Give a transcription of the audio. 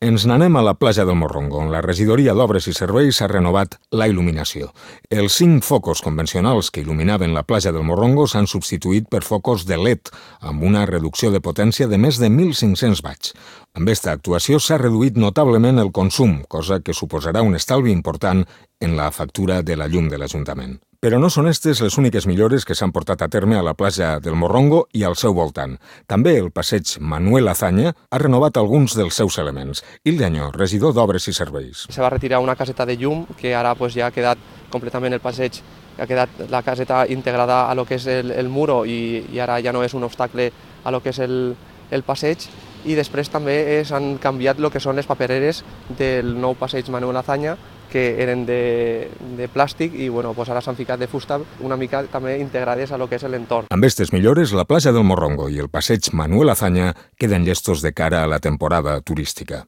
Ens n'anem a la platja del Morrongo, on la regidoria d'Obres i Serveis ha renovat la il·luminació. Els 5 focus convencionals que il·luminaven la platja del Morrongo s'han substituït per focus de LED, amb una reducció de potència de més de 1.500 watts. Amb aquesta actuació s'ha reduït notablement el consum, cosa que suposarà un estalvi important en la factura de la llum de l'Ajuntament. Però no són aquestes les úniques millores que s'han portat a terme a la platja del Morrongo i al seu voltant. També el passeig Manuel Azaña ha renovat alguns dels seus elements. Hilda Añó, regidor d'Obres i Serveis. Se va retirar una caseta de llum que ara ja ha quedat completament el passeig, ha quedat la caseta integrada a lo que és el muro i ara ja no és un obstacle a lo que és el passeig. I després també s'han canviat el que són les papereres del nou passeig Manuel Azaña, que eren de plàstic i ara s'han ficat de fusta una mica també integrades a lo que és l'entorn. Amb aquestes millores, la platja del Morrongo i el passeig Manuel Azaña queden llestos de cara a la temporada turística.